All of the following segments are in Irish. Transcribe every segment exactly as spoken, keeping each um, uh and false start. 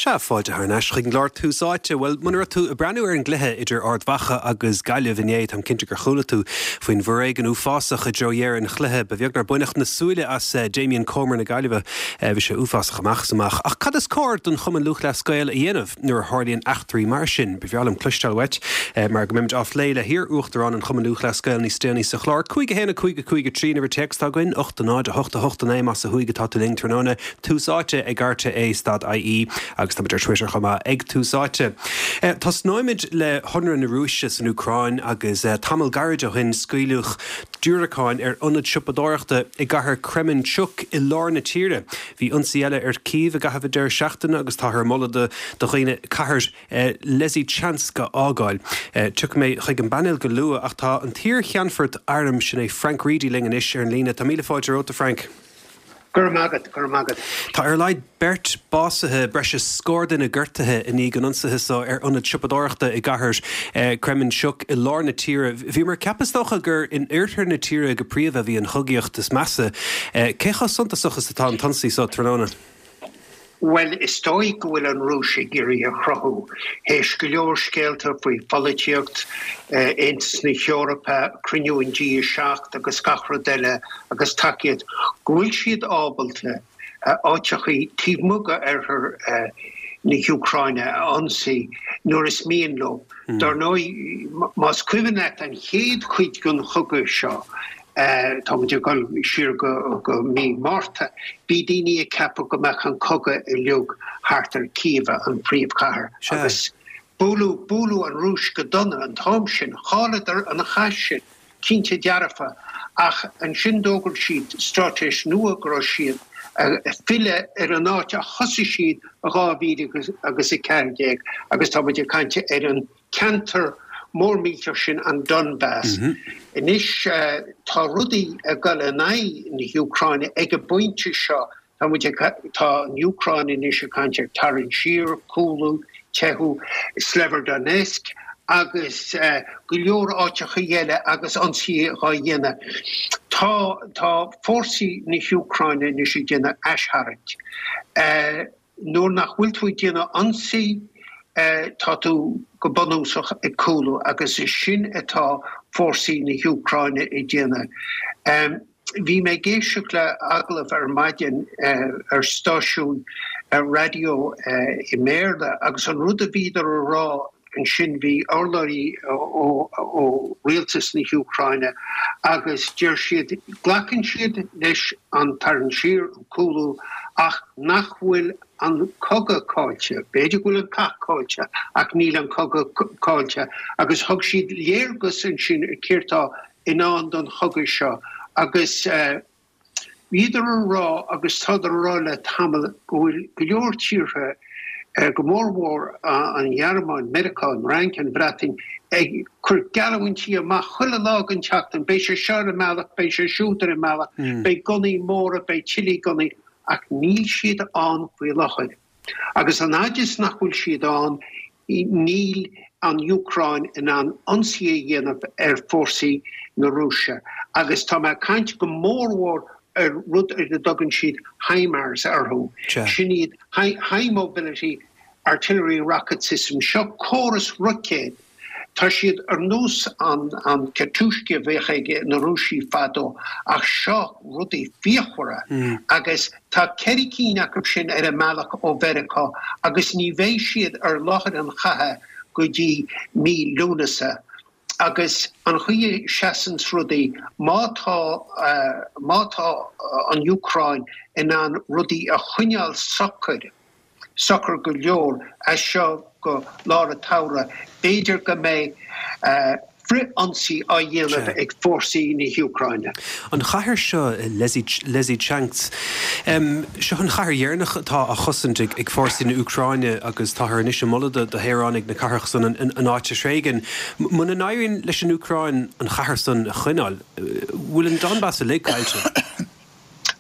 Sea, fáilte thar n-ais chuig an gclár Tús Áite. Bhuel, muna raibh tú ag breathnú ar an gcluiche idir Ard Mhacha agus Gaillimh inné, táim cinnte gur chuala tú faoin bhforéigean uafásach i dtreo dheireadh an chluiche. Ba bheag nár baineadh na súile as eh, Damien Comer na Gaillimhe eh, bhí sé uafásach amach is amach. Ach cad is cóir don Chumann Lúthchleas Gael a dhéanamh nuair a tharlaíonn eachtraí mar sin? Ba bhreá liom cloisteáil uait eh, mar go mbeimid á phlé le hiar-uachtarán an Chumann Lúthchleas Gael níos déanaí sa chlár. Cúig a haon a cúig a cúig a trí an uimhir téacs atá againn, ocht a náid a hocht a hocht a naoi más ó thuaidh atá tú linn tráthnóna Tús Áite ag R T É stad I E agus tá ar Twitter chomh maith ag Tús Áite. Eh, Tosnóimid le hionradh na Rúise san Úcráin agus eh, tamall gairid ó shin scaoileadh diúracáin ar ionad siopadóireachta i gcathair Kremenchuk i lár na tíre. Bhí ionsaí eile ar Kiev i gcaitheamh an deireadh seachtaine agus táthar ag moladh do do dhaoine cathair eh, Lysychansk a fhágáil. Eh, Tiocfaidh mé chuig an bpainéal go luath ach tá an t-iar-cheannfort airm sin é Frank Reidy linn anois ar an líne. Tá míle fáilte romhat, Frank. Gur magat gur magat. Tá ar a laghad beirt básaithe breis is scór duine gortaithe i ndiaidh an ionsaithe seo ar ionad siopadóireachta i gcathair eh, Kremenchuk i lár na tíre. Bhí mar ceapastocha gur in oirthear na tíre go príomha bhí an chogaíocht is measa. Eh, Cé chomh suntasach is atá an t-ionsaí seo tráthnóna? Well is dóigh go bhfuil an Rúis ag iarraidh a chruthú. Théis go leor scéalta faoi pholaitíocht eh, Aontas na hEorpa, cruinniú an G seacht agus gach rud eile agus tacaíocht go bhfuil siad ábalta eh, áiteachaí taobh amuigh d'oirthear eh, na hÚcráine a ionsaí nuair is mian leo. Mm. Dar ndóigh más cuimhin leat an chéad chuid den chogadh seo. Uh, tá muid ag dul siar go, go mí Márta, Bhí daoine ag ceapadh go mbeadh an cogadh uilig thart ar Kiev an príomhchathair agus bualadh bualadh an Rúis go dona an t-am sin, chailleadar an cath sin cinnte dearfa ach ansin d'fhógair siad straitéis nua go raibh siad filleadh ar an áit a thosaigh siad a dhá mhíle agus a ceathair déag agus tá muid ag caint ar an ceantar mór millteach sin an Donbass. Mm -hmm. Anois uh, tá rudaí ag dul in aghaidh na hÚcráine ag an bpointe seo tá tá an Úcráin anois ag caint ar tarraingt siar, cúlú, teitheadh, Severodonetsk agus uh, go leor áiteacha eile agus ionsaí á dhéanamh. Tá tá fórsaí na hÚcráine anois ag déanamh aistharraingt. Uh, nuair nach bhfuil tú ag déanamh ionsaí uh, tá tú go bunúsach ag cúlú agus is sin atá fórsaí na hÚcráine ag déanamh. Um, Bhí mé ag éisteacht le agallamh ar maidin uh, ar stáisiún ar raidió uh, i mBéarla agus an rud a bhíodar a rá ansin bhí urlabhraí ó rialtas na hÚcráine agus deir siad glacann siad leis an tarraingt siar an cúlú ach nach bhfuil an cogadh caillte, B'fhéidir go bhfuil an cath caillte ach níl an cogadh caillte agus thug siad léargas ansin céard atá i ndán don chogadh seo agus uh, Bhíodar a rá agus tádar a rá le tamall go bhfuil go leor tíortha uh, go mórmhór uh, an Ghearmáin, Meiriceá, an Fhrainc an Bhreatain ag cur geallúintí amach chuile lá den tseachtain, beidh sé seo ar an mbealach, beidh sé siúd ar an mbealach, mm. beidh gunnaí móra, beidh tuilleadh gunnaí ach níl siad ann faoi láthair. Agus an fhad is nach bhfuil siad ann níl an Úcráin in ann ionsaí a dhéanamh ar fórsaí na Rúise. Agus tá mé ag caint go mórmhór ar rud ar a dtugann siad HIMARS orthu. Sin iad high, high mobility artillery rocket system seo córas roicéad Tá siad ar nós an an Katyusha a bhíodh ag na Rúisigh fadó ach seo rudaí fíochmhara mm. agus tá ceithre cinn acu sin ar a mbealach ó Mheiriceá agus ní bheidh siad ar láthair an chatha go dtí mí Lúnasa. Agus an chaoi a seasann rudaí má tá uh, má tá uh, an Úcráin in ann rudaí a choinneáil socair socair go leor as seo go lár an tsamhraidh b'fhéidir go mbeidh uh, frith-ionsaí á dhéanamh ag fórsaí na hÚcráine. An chathair seo Lysychansk um, seo an chathair dheireanach atá á chosaint ag, ag fórsaí na Úcráine agus táthar anois ag moladh do shaoránaigh na cathrach san an, an, an áit a thréigean. Muna n-éiríonn leis an Úcráin an chathair san a choinneáil, bhfuil an Donbass uilig caillte?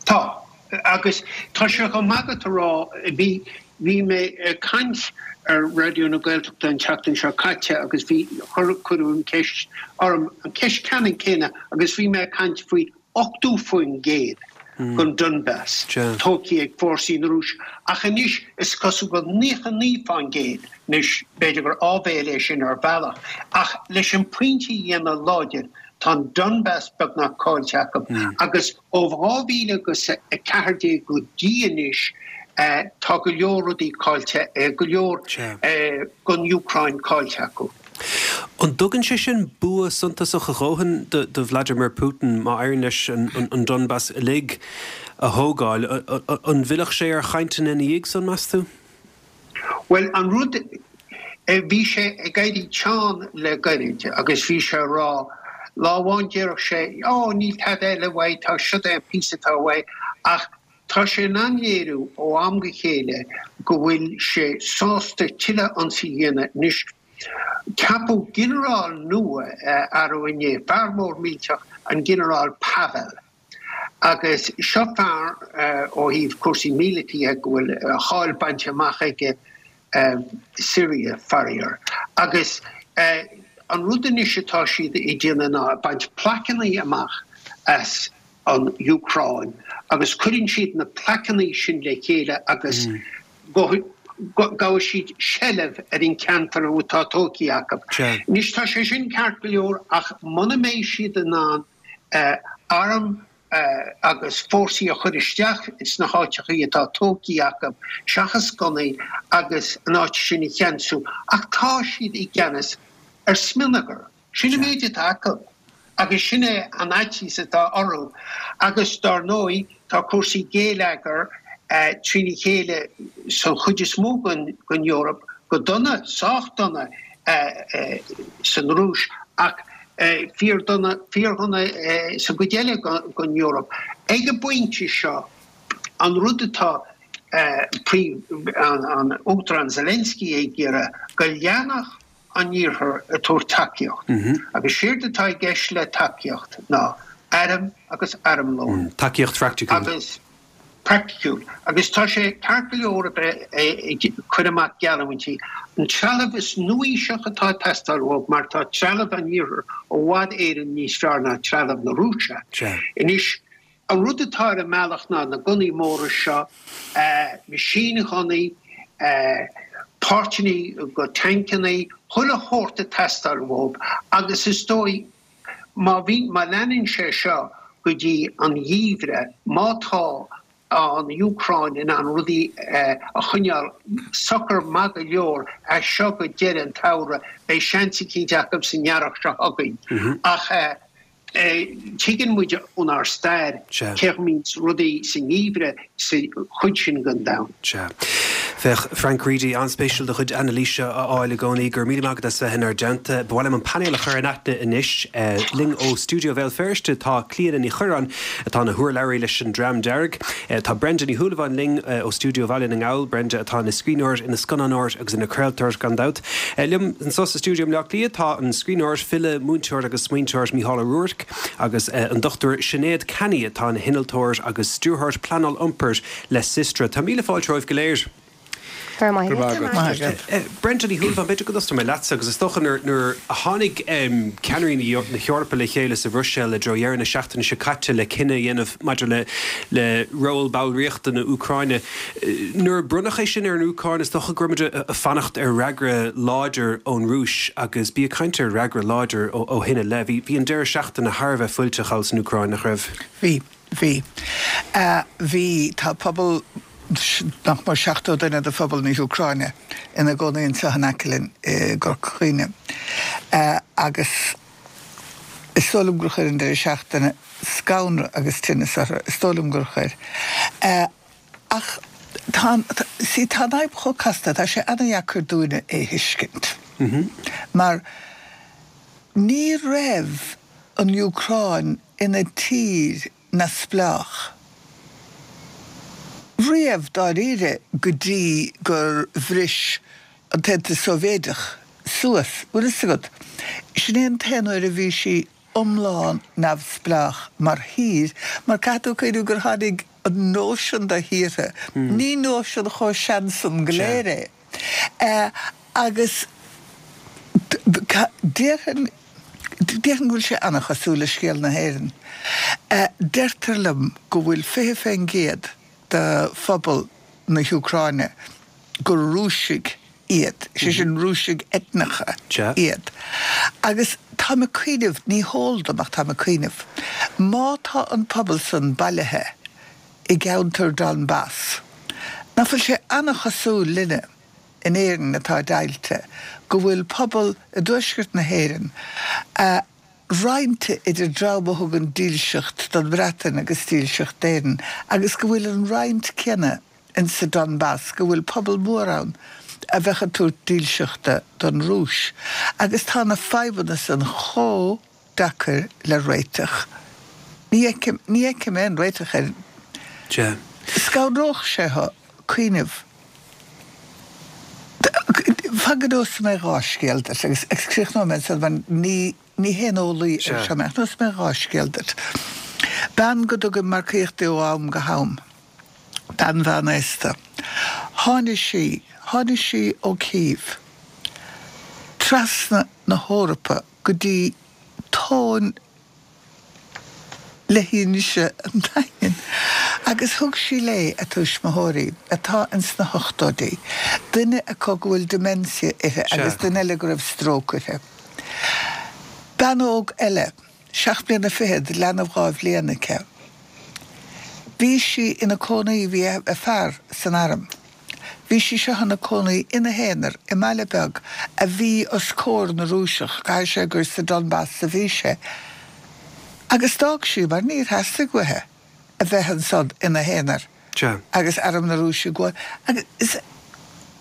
Tá agus tá sé go maith a rá bhí bhí mé ag caint ar Raidió na Gaeltachta an tseachtain seo caite agus bhí chuir an ceist orm an ceist ceannann céanna agus bhí mé ag caint faoi ochtó faoin gcéad den Donbas tógtha ag fórsaí na Rúise, ach anois is cosúil go bhfuil naocha naoi fán gcéad, anois b'fhéidir gur áibhéil é sin ar bhealach, ach leis an pointe a dhéanamh láidir, tá an Donbas beagnach caillte acu agus ó dhá mhíle agus a ceathair déag go dtí anois tá go leor rudaí caillte, go leor den Úcráin caillte acu. An dtugann sé sin bua suntasach a dhóthain do Vladimir Putin má éiríonn leis an Donbas uilig a thógáil? An bhfillfeadh sé ar chainteanna ina dhiaidh san, meas tú? Bhuel, an rud, bhí sé ag éirí teann le gairid agus bhí sé ag rá, lá amháin déarfadh sé, Ó, níl tada eile uaidh, tá, siod é an píosa atá uaidh, ach tá sé in ann léiriú ó am go chéile go bhfuil sé sásta tuilleadh ionsaí a dhéanamh. Anois, ceapadh ginearál nua arú inné, fear mór millteach, an Ginearál Pavel. Agus seo fear ó thaobh cúrsaí míleataí de go bhfuil a cháil bainte amach aige Syria, faraor. Agus an rud anois atá siad ag déanamh ná ag baint plaiceanna amach as an Úcráin agus cuireann siad na plaiceanna sin le chéile agus gabhfaidh siad seilbh ar an ceantar atá tógtha acu. Anois tá sé sin ceart go leor ach muna mbeidh siad in ann arm agus fórsaí a chur isteach sna háiteachaí atá tógtha acu seachas gunnaí agus an áit sin a cheansú ach tá siad i gceannas ar smionagar. Sin an méid atá acu agus sin é an fhaitíos atá orthu. Agus dar ndóigh tá cúrsaí géilleagair trína chéile san chuid is mó den Eoraip, go dona, sách dona san Rúis ach fíordhona, fíordhona sa gcuid eile den Eoraip. Ag an bpointe seo, an rud atá an Uachtarán Zelensky ag iarraidh, go leanfadh an Iarthar ag tabhairt tacaíocht. Agus séard atá i gceist le tacaíocht ná airm agus armlón. Tacaíocht phraiticiúil. Agus praiticiúil. Agus tá sé ceart go leor a bheith ag cur amach geallúintí. An trealamh is nuaaoiseach atá ag teastáil uathu mar tá trealamh an Iarthair i bhfad Éireann níos fearr ná trealamh na Rúise. Anois, an rud atá ar an mbealach ná na gunnaí móra seo, meaisínghunnaí, páirteanna go tancanna, chuile shórt ag teastáil uathu agus is dóigh má bhí, má leanann sé seo go dtí an gheimhreadh, má tá an Úcráin in ann rudaí a choinneáil socair maith go leor as seo go deireadh an tsamhraidh, beidh seans eicínt acu san earrach seo chugainn. Ach tuigeann muid ónár stair cé chaoi a mbíonns rudaí sa ngeimhreadh sa chuid sin den domhan. Sea. Féach, Frank Reidy, an-spéisiúil do chuid anailíse a fháil i gcónaí. Go raibh míle maith agat as bheith inár dteannta. Ba mhaith liom an painéal a chur in aithne anois. Linn ó stiúideo Bhéal Feirste tá Clíona Ní Chuireáin, atá ina hurlabhraí leis an Dream Dearg. Tá Brenda Ní Shúilleabháin linn ó stiúideo Bhaile na nGall, Brenda atá ina scríbhneoir, ina scannánóir agus ina craoltóir gan dabht. Liom anso sa stiúideo i mBleá Cliath tá an scríbhneoir, file, múinteoir agus smaointeoir Mícheál Ó Ruairc agus an Dochtúir Sinéad Canney atá ina hinnealtóir agus stiúrthóir pleanáil iompair le Systra. Tá míle fáilte romhaibh go léir. Go raibh maith agat. Brenda Ní Shúilleabháin, b'fhéidir go dtosóidh mé leatsa agus is dócha nuair a tháinig ceannairí na hEorpa le chéile sa Bhruiséil i dtreo dheireadh na seachtaine seo caite le cinneadh a dhéanamh maidir le le ról ballraíochta na Úcráine, nuair a bronnadh é sin ar an Úcráin is dócha go raibh muid ag fanacht ar fhreagra láidir ón Rúis agus bí ag caint ar fhreagra láidir ó shin i leith. Bhí an deireadh seachtaine thar a bheith fuilteach thall san Úcráin, nach raibh? Bhí. Bhí. Bhí. Tá pobal nach mór seachtó duine de phobal na hÚcráine ina gcónaí anseo in aice linn i gCorca Dhuibhne agus is dóigh liom gur chuir an deireadh seachtaine scanradh agus tinneas orthu, is dóigh liom gur chuir. Ach tá an, see, tá an fhadhb chomh casta, tá sé ana-dheacair dúinne é thuiscint mar ní raibh an Úcráin ina tír neamhspleách riamh dáiríre go dtí gur bhris an tAontas Sóivéideach suas, bhfuil fhios agat. Sin é an t-aon uair a bhí sí iomlán neamhspleách mar thír, mar caithfidh tú cuimhniú gur tháinig an nóisean de thíortha, ní nóisean chomh sean san go léir é, agus déarfainn, Déarfainn go bhfuil sé an-chosúil le scéal na hÉireann. Deirtear liom go bhfuil fiche fén gcéad de phobal na hÚcráine gur Rúisigh iad, sé sin Rúisigh eitneacha iad. Agus táim ag cuimhneamh, ní heol dom ach táim ag cuimhneamh, má tá an pobal san bailithe i gceantar Donbas, nach bhfuil sé an-chosúil linne in Éirinn atá deighilte, go bhfuil pobal i dtuaisceart na hÉireann roinnte idir dream a thugann dílseacht don Bhreatain agus dílseacht d'Éirinn agus go bhfuil an roinnt céanna in sa Donbas, go bhfuil pobal mór ann a bheadh ag tabhairt dílseachta don Rúis. Agus tá na fadhbanna san chomh deacair le réiteach. Ní fheicim, ní fheicim aon réiteach air. Sea. Scanródh sé thú cuimhneamh. Fan go neosfaidh mé dhá scéal duit agus críochnóidh mé ansan mar ní, ní haon eolaí ar seo mé ach neosfaidh mé dhá scéal duit. Bean go dtugaim marcaíocht di ó am go ham, bean mheánaosta. Tháinig sí, tháinig sí ó Cív trasna na hEorpa go dtí tóin leithinse an Daingin agus thug sí léi a tuismitheoirí, atá ins na hochtóidí, duine acu go bhfuil dementia uirthi agus duine eile go raibh stróc uirthi. Bean óg eile, seacht mbliana fichead, leanbh dhá bhliain aici. Bhí sí ina cónaí, bhí a fear san arm. Bhí sí seo ina cónaí ina haonar i mbaile beag a bhí os comhair na Rúiseach, caithfidh sé gur sa Donbas a bhí sé, agus d'fhág sí mar níor theastaigh uaithi a bheith ansan ina haonar agus arm na Rúise ag gabháil. Agus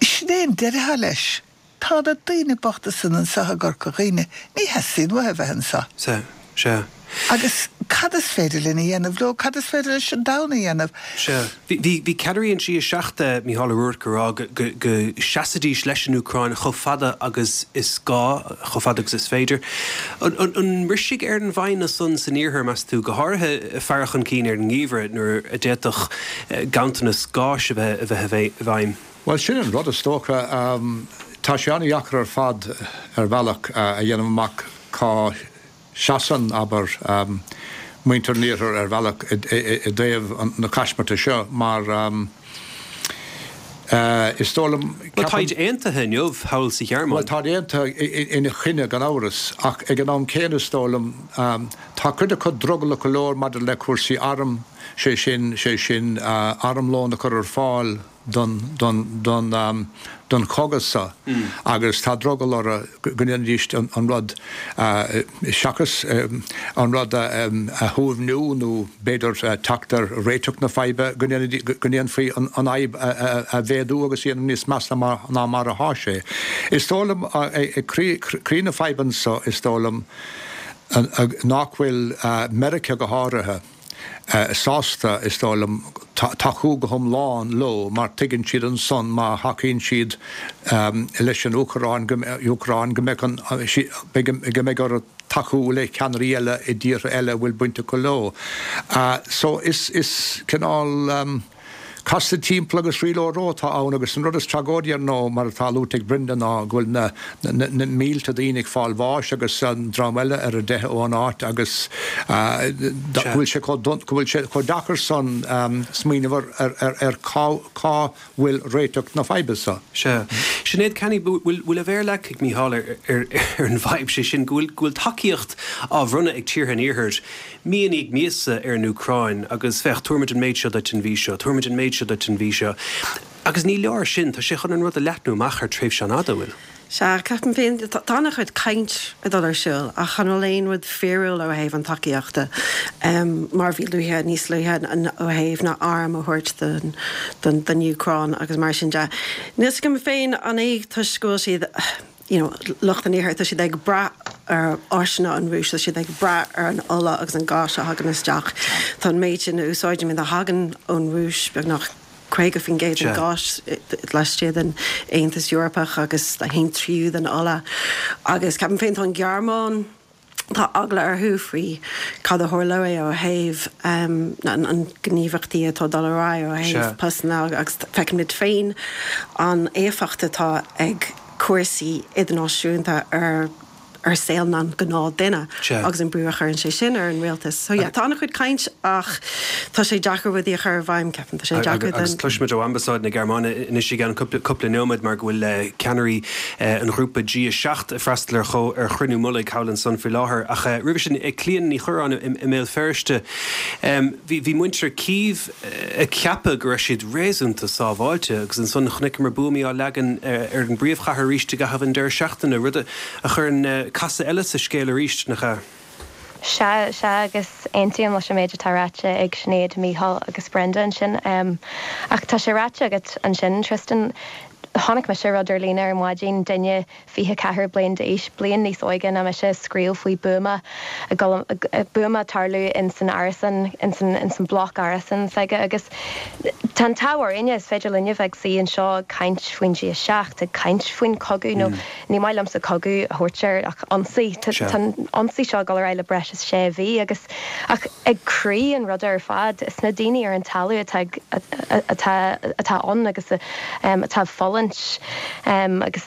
sin é an deireadh atá leis. Tá na daoine bochta san anseo i gCorca Dhuibhne, ní theastaíonn uathu a bheith anseo. Sea, sea. Agus cad is féidir linn a dhéanamh leo? Cad is féidir leis an domhan a dhéanamh? Sea. Bhí, bhí ceannairí an G a seacht, Mícheál Ó Ruairc, ag rá go, go, go seasfaidís leis an Úcráin chomh fada agus is gá, chomh fada agus is féidir. An, an, an mbrisfidh ar an bhfoighne san san Iarthar, meas tú, go háirithe faire chun cinn ar an ngeimhreadh nuair a d'fhéadfadh ganntanas gáis a bheith, a bheith i bhfeidhm? Bhuel, sin an rud is dócha. Tá sé an-dheacair ar fad ar bhealach a dhéanamh amach cá seasann, abair, muintir an Iarthair ar bhealach i dtaobh na caismirte seo mar is dóigh liom, Bhuel, táid aontaithe inniu thall sa Ghearmáin. Bhuel, táid aontaithe ina choinne gan amhras ach ag an am céanna is dóigh liom, tá cuid acu drogallach go leor maidir le cúrsaí arm, sé sin, sé sin armlón a chur ar fáil. don don chogadh seo agus tá drogall orthu go ndéanfaidís an rud seachas an rud a shuaimhniú nó b'fhéidir teacht ar réiteach na faidhbe, go ndéanfaí an fhadhb a mhéadú agus a dhéanamh níos measa ná mar atá sé. Is dóigh liom, ag croí na faidhbe anseo, is dóigh liom nach bhfuil Meiriceá go háirithe, sásta, is dóigh liom, tacú go hiomlán leo mar tuigeann siad ansan má thacaíonn siad leis an Úcráin go mbeidh an go mbeidh orthu tacú le ceannairí eile i dtíortha eile a bhfuil baint acu leo. So is is cineál. Casadh timpeall agus riail óró atá ann agus an rud is tragóidí ar ndóigh, mar atá luaite ag Brenda, ná go bhfuil na na mílte daoine ag fáil bháis agus an dream eile ar a dteitheadh ón áit agus go bhfuil sé chomh go bhfuil sé chomh deacair san smaoineamh ar ar ar cá cá bhfuil réiteach na faidhbe seo. Sea. Sinéad Canney, bhfuil bhfuil a mhéar leagtha ag Mícheál ar ar ar an bhfadhb, sé sin go bhfuil go bhfuil tacaíocht á bhronnadh ag tíortha an Iarthair Mí i ndiaidh míosa ar an Úcráin agus féach, tabharfaimid an méid seo duit an mhí seo, tabharfaimid an méid seo duit an mhí seo. Agus ní leor sin, tá sé chun an rud a leathnú amach thar tréimhse an-fhada, an bhfuil? Sea, ceapaim féin, tá an-chuid caint ag dul ar siúl ach an bhfuil aon rud fíorúil ó thaobh an tacaíochta, mar a bhí luaithe, níos luaithe, ó thaobh na airm a thabhairt don don Úcráin agus mar sin de. Níl 's agam féin an é toisc go bhfuil siad, you know, lucht an Iarthair, tá siad ag brath ar áiseanna an Rúis, tá siad ag brath ar an ola agus an gás a thagann isteach. Tá an méid sin a úsáidimid a thagann ón Rúis, beagnach caoga faoin gcéad den ghás laistigh den Aontas Eorpach agus a haon tríú den ola. Agus ceapaim féin tá an Ghearmáin, Tá eagla orthu faoi cad a tharlóidh ó thaobh an gníomhaíochtaí atá ag dul ar aghaidh ó thaobh postanna agus feicimid féin an éifeacht atá ag cúrsaí idirnáisiúnta ar ar saol na ngnáthdhuine agus an brú a chuireann sé sin ar an rialtas. So yeah, tá an-chuid caint ach tá sé deacair rudaí a chur i bhfeidhm, ceapaim, tá sé deacair Agus cloisfimid ó Ambasáid na Gearmáine anois i gceann cúpla nóiméad mar go bhfuil ceannairí an ghrúpa G a seacht ag freastal ar ar chruinniú mullaigh thall ansan faoi láthair. Ach roimhe sin, Clíona Ní Chuireáin i mBéal Feirste, bhí muintir Kyiv ag ceapadh go raibh siad réasúnta sábháilte agus ansan chonaiceamar buamaí á leagan ar an bpríomhchathair arís i gcaitheamh an deireadh seachtaine, rud a chuireann casadh eile sa scéal arís, nach ea? Sea, sea, agus aontaím leis an méid atá ráite ag Sinéad, Mícheál agus Brenda ansin. Ach tá sé ráite agat ansin, Tristan, chonaic mise rud ar líne ar maidin, duine fiche ceathair bliain d'aois, bliain níos óige ná mise, ag scríobh faoi buama, buama ag tarlú in san árasán, in san, in san bloc árasán s'aige agus tá an t-ádh orainne, is féidir linne bheith ag suí anseo ag caint faoin G a seacht, ag caint faoin chogadh nó ní maith liomsa cogadh a thabhairt air ach ionsaí. Tá an ionsaí seo ag dul ar aghaidh le breis is sé mhí agus ach ag croí an ruda ar fad is na daoine ar an talamh atá ag atá atá ann agus atá ag fulaingt agus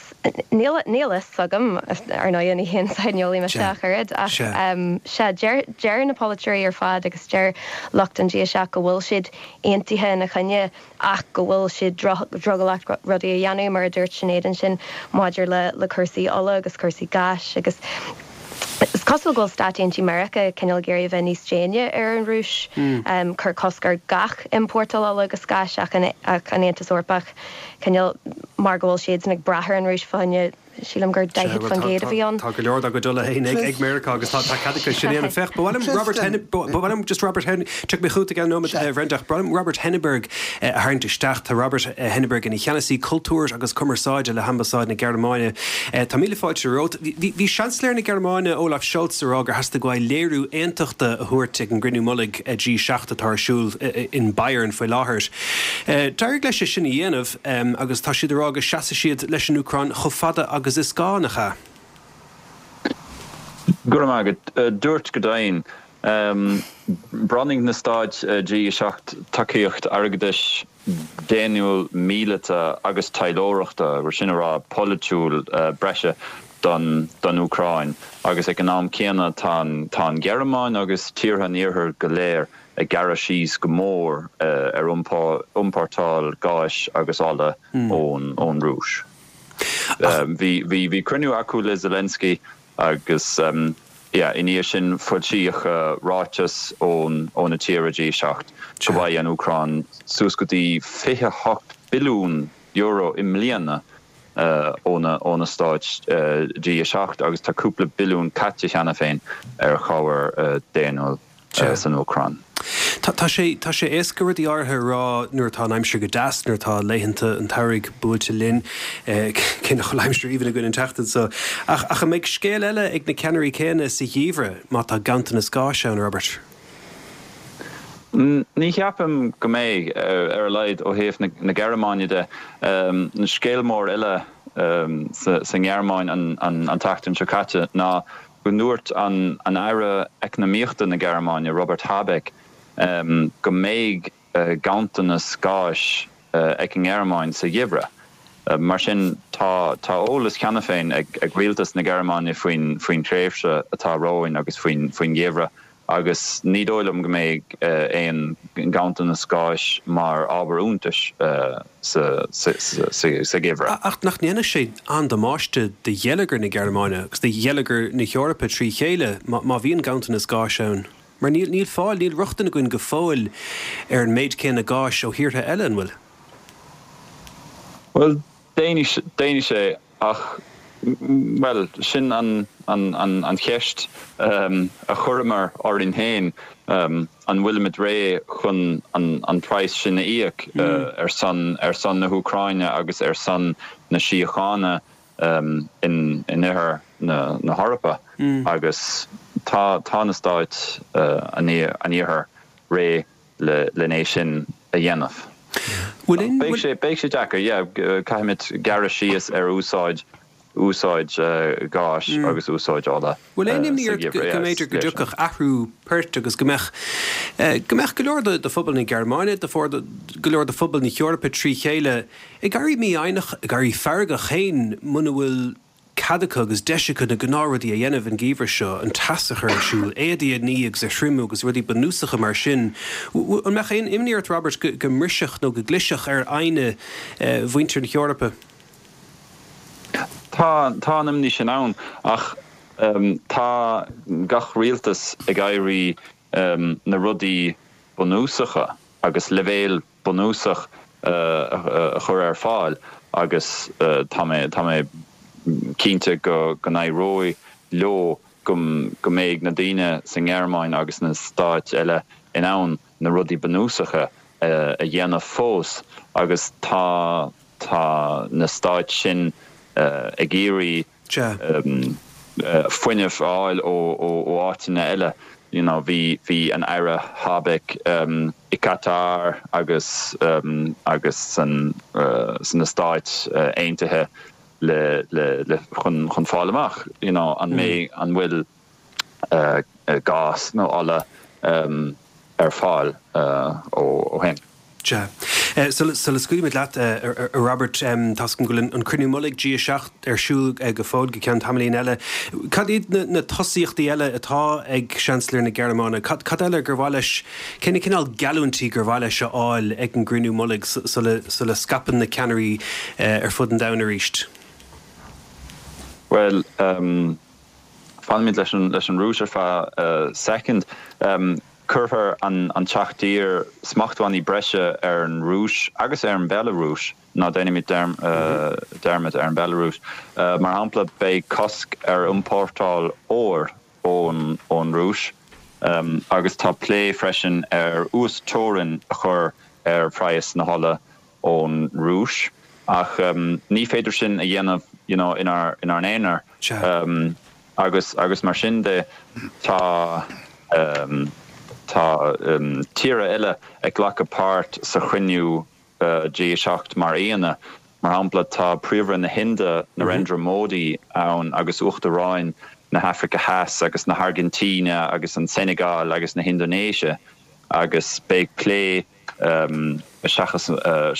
níl níl fhios agam ar ndóigh ní haon saineolaí mise ach oiread ach sea deir deir na polaiteoirí ar fad agus deir lucht an G a seacht go bhfuil siad aontaithe ina choinne ach go bhfuil siad drogallach rudaí a dhéanamh, mar a dúirt Sinéad ansin maidir le le cúrsaí ola agus cúrsaí gáis agus is cosúil go bhfuil Stáit Aontaithe Meiriceá cineál ag iarraidh a bheith níos déine ar an Rúis, cur cosc ar gach iompórtáil ola agus gáis ach an ach an Aontas Eorpach cineál mar go bhfuil siadsan ag brath ar an Rúis fá choinne Sílim gur daichead faoin gcéad a bhí ann. Tá go leor dá gcuid ola féin ag Meiriceá agus tá cead acu sin a dhéanamh. Féach, ba mhaith liom Robert Henn, ba mhaith liom just Robert Henn, tiocfaidh mé chugat i gceann nóiméad, a Bhrenda, ach ba mhaith liom Robert Henneberg a tharraingt isteach. Tá Robert Henneberg ina cheannasaí cultúir agus cumarsáide le hAmbasáid na Gearmáine. Tá míle fáilte romhat. Bhí Seansailéir na Gearmáine, Olaf Scholz, ag rá gur theastaigh uaidh léiriú aontachta a thabhairt ag an gcruinniú mullaigh G seacht atá ar siúl in Bayern faoi láthair. D'éirigh leis é sin a dhéanamh agus tá siad ag rá go seasfaidh siad leis an Úcráin chomh fada agus is gá, nach ea? Go raibh maith agat. Dúirt go deimhin. Bronnfaidh na stáit G a seacht tacaíocht airgeadais, daonnúil, míleata agus taidhleoireachta, mar sin a rá, polaitiúil breise don don Úcráin agus ag an am céanna tá an tá an Ghearmáin agus tíortha an Iarthair go léir ag gearradh síos go mór ar iompórtáil gáis agus ola ón ón Rúis. Bhí bhí bhí cruinniú acu le Zelensky agus yeah i ndiaidh sin foilsíodh ráiteas ón ó na tíortha G seacht go bhfaighidh an Úcráin suas go dtí fiche hocht billiún euro i mbliana ó na ó na stáit G a seacht agus tá cúpla billiún caite cheana féin ar chabhair daonnúil san Úcráin. Tá sé tá sé éasca rudaí áirithe a rá nuair atá an aimsir go deas, nuair atá laethanta an tsamhraidh buailte linn, cé nach bhfuil aimsir aoibhinn againn an tseachtain seo. Ach ach an mbeidh scéal eile ag na ceannairí céanna sa gheimhreadh má tá ganntanas gáis ann, Robert? Ní cheapaim go mbeidh, ar a laghad ó thaobh na Gearmáine de. An scéal mór eile sa nGearmáin an tseachtain seo caite ná go ndúirt an Aire Eacnamaíochta na Gearmáine, Robert Habeck, go mbeidh ganntanas gáis ag an nGearmáin sa gheimhreadh. Mar sin, tá eolas cheana féin ag rialtas na Gearmáine faoin tréimhse atá romhainn agus faoin gheimhreadh agus ní dóigh liom go mbeidh aon ghanntanas gáis mar ábhar iontais sa gheimhreadh. Ach nach ndéanfaidh sé an-damáiste do gheilleagar na Gearmáine agus do gheilleagar na hEorpa trí chéile má bhíonn ganntanas gáis ann? Mar níl níl fáil, níl rochtain againn go fóill ar an méid céanna gáis ó thíortha eile, an bhfuil? Bhuel, déanfaidh sé ach, bhuel, sin an an cheist a chuireamar orainn féin, an bhfuilimid réidh chun an praghas sin a íoc ar son ar son na hÚcráine agus ar son na síochána in in oirthear na na hEorpa agus tá tá na stáit an iarthair réidh le len é sin a dhéanamh. Beidh sé beidh sé deacair, yeah, caithfimid gearradh síos ar úsáid úsáid gáis agus úsáid ola Bhfuil aon imní ort go mb'fhéidir go dtiocfadh athrú poirt agus go mbeadh go mbeadh go leor de phobal na Gearmáine, de go leor de phobal na hEorpa trí chéile ag éirí mífhoighneach, ag éirí feargach féin muna bhfuil cead acu agus deis acu na gnáthrudaí a dhéanamh an geimhreadh seo, an teas a chur ar siúl, éadaí a ní agus a thriomú agus rudaí bunúsacha mar sin. An mbeadh aon imní ort, Robert, go mbrisfeadh nó go gclisfeadh ar fhoighne mhuintir na hEorpa? Tá, tá an imní sin ann ach tá gach rialtas ag iarraidh na rudaí bunúsacha agus leibhéal bunúsach a chur ar fáil agus tá mé, tá mé cinnte go n-éireoidh leo go mbeidh na daoine sa nGearmáin agus sna stáit eile in ann na rudaí bunúsacha a dhéanamh fós agus tá tá na stáit sin ag iarraidh fuinneamh a fháil ó áiteanna eile. You know, bhí bhí an Aire Habeck i Qatar agus agus san sna Stáit Aontaithe le le le chun chun fáil amach, you know, an mbeidh an bhfuil gás nó ola ar fáil ó shin. Sea. Sula scaoilfimid leat, a Robert, tá's agam go bhfuil an cruinniú mullaigh G a seacht ar siúl go fóill go ceann tamaillín eile. Cad iad na tosaíochtaí eile atá ag Seansailéir na Gearmáine? Cad eile gur mhaith leis, cé na cineál geallúintí gur mhaith leis a fháil ag an gcruinniú mullaigh sula scaipeann na ceannairí ar fud an domhain arís? Bhuel, fanfaimid leis an Rúis ar feadh soicind. Cuirfear an tseacht dtír smachtbhannaí breise ar an Rúis agus ar an Bhealarúis, ná déanaimid dearmad ar an Bhealarúis. Mar shampla, beidh cosc ar iompórtáil óir ón Rúis agus tá plé freisin ar uas-teorainn a chur ar phraghas na hola ón Rúis. Ach ní féidir sin a dhéanamh you know inár n-aonar. Agus agus mar sin de tá tá tíortha eile ag glacadh páirt sa chruinniú G a seacht mar aíonna. Mar shampla tá Príomhaire na hInde Narendra Modi ann agus Uachtaráin na hAfraice Theas agus na hAirgintíne agus an Seineagáil agus na hIndoinéise agus beidh plé Seachas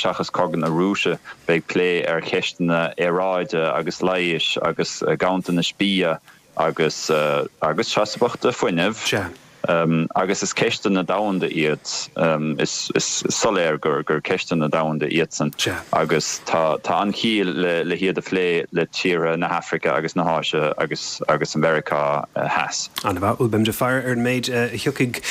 seachas cogadh na Rúise, beidh plé ar cheisteanna aeráide agus leighis agus ganntanais bia agus agus seasmhachta fuinnimh. Agus is ceisteanna domhanda iad. Is soiléir gur gur ceisteanna domhanda iadsan. Agus tá tá an-chiall le le hiad a phlé le tíortha na hAfraice agus na hÁise agus agus an Mheiriceá Theas. An-mhaith. Bhuel, beimid ag faire ar an méid a thiocfaidh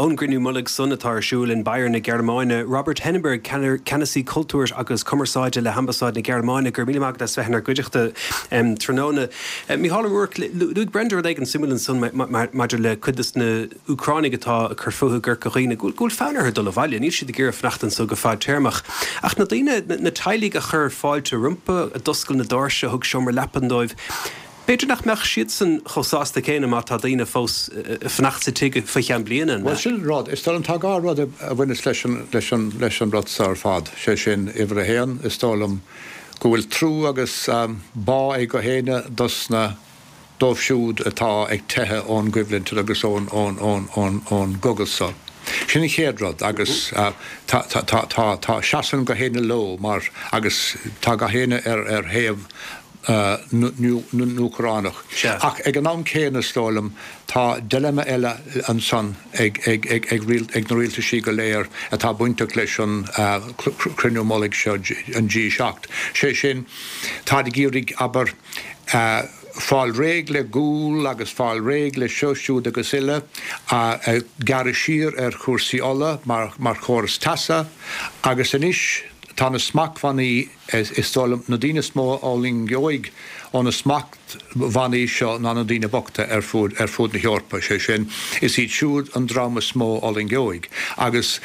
ón gcruinniú mullaigh san atá ar siúl in Bayern na Gearmáine. Robert Henneberg, Ceannasaí Cultúir agus Cumarsáide le hAmbasáid na Gearmáine, go raibh míle maith agat as bheith inár gcuideachta tráthnóna. Mícheál Ó Ruairc, luaigh Brenda rud éigin suimiúil ansan maidir le cuid de na Úcránaigh atá ag cur fúthu i gCorca Dhuibhne, go bhfuil fonn orthu dul abhaile, níl siad ag iarraidh fanacht anso go fadtéarmach. Ach na daoine, na teaghlaigh a chuir fáilte rompu, a d'oscail na doirse, a thug seomra leapan dóibh, b'fhéidir nach mbeadh siadsan chomh sásta céanna má tá daoine fós ag fanacht sa tigh faoi cheann bliana, an Bhuel, sin an rud. Is dóigh liom, tá dhá rud a bhaineas leis an, leis an, leis an rud seo ar fad. Sé sin, uimhir a haon, is dóigh liom go bhfuil trua agus bá ag gach éinne dos na, dóibh siúd atá ag teitheadh ón gcoimhlint agus ón, ón, ón, ón, ón gcogadh seo. Sin an chéad rud agus tá, tá, tá, tá, tá, seasann gach éinne leo mar, agus tá gach éinne ar, ar thaobh na nÚcránach. Ach ag an am céanna, is dóigh liom, tá dilemma eile ansan ag, ag, ag, ag, ag na rialtaisí go léir atá bainteach leis an cruinniú mullaigh seo, an G seacht. Sé sin, táid ag iarraidh, abair, fáil réidh le gual agus fáil réidh le seo, siúd agus uile, gearradh siar ar chúrsaí ola mar chóras teasa agus anois tá na smachtbhannaí, is dóigh liom, na daoine is mó a fhulaingeoidh ó na smachtbhannaí seo ná na daoine bochta ar fud ar fud na hEorpa, sé sin, is iad siúd an dream is mó a fhulaingeoidh agus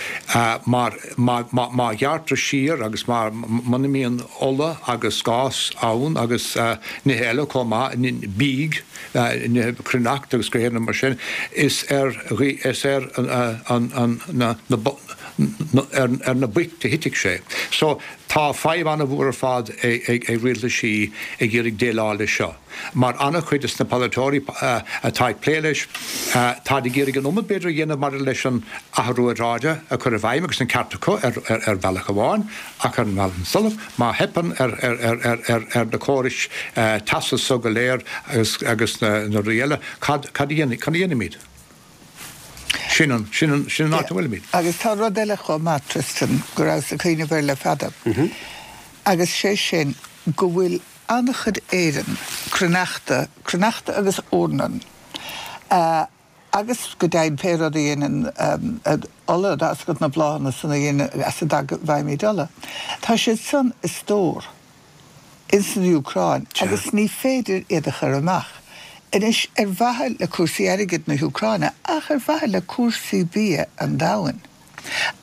mar má má ghearrtar siar agus má muna mbíonn ola agus gás ann agus nithe eile chomh maith, bídh, nithe cruithneacht agus gach aon rud mar sin, is ar is ar an na ar na boicht a thitfidh sé. So tá fadhb an-mhór ar fad ag rialtaisí ag iarraidh déileáil leis seo. Mar an-chuid de na polaiteoirí atá ag plé leis, táid ag iarraidh an iomad b'fhéidir a dhéanamh maidir leis an athrú aeráide a chur i bhfeidhm agus an ceart acu ar bhealach amháin ach ar an mbealach eile, má theipeann ar na córais teasa so go léir agus na rudaí eile, cad a dhéanfaimid? Sin an, sin an, sin an áit a bhfuilimid. Agus tá rud eile chomh maith, Tristan, go rabhas ag cuimhneamh air le fada, agus sé sin go bhfuil an-chuid Éireann, cruithneachta, cruithneachta agus eornan, agus go deimhin pé rud a dhéanann ola, tá a fhios agat na bláthanna san a dhéanann, as a bhfaighimid ola, tá siad san i stór. ins an Úcráin agus ní féidir iad a chur amach. Anois, ar mhaithe le cúrsaí airgid na hÚcráine ach ar mhaithe le cúrsaí bia an domhain.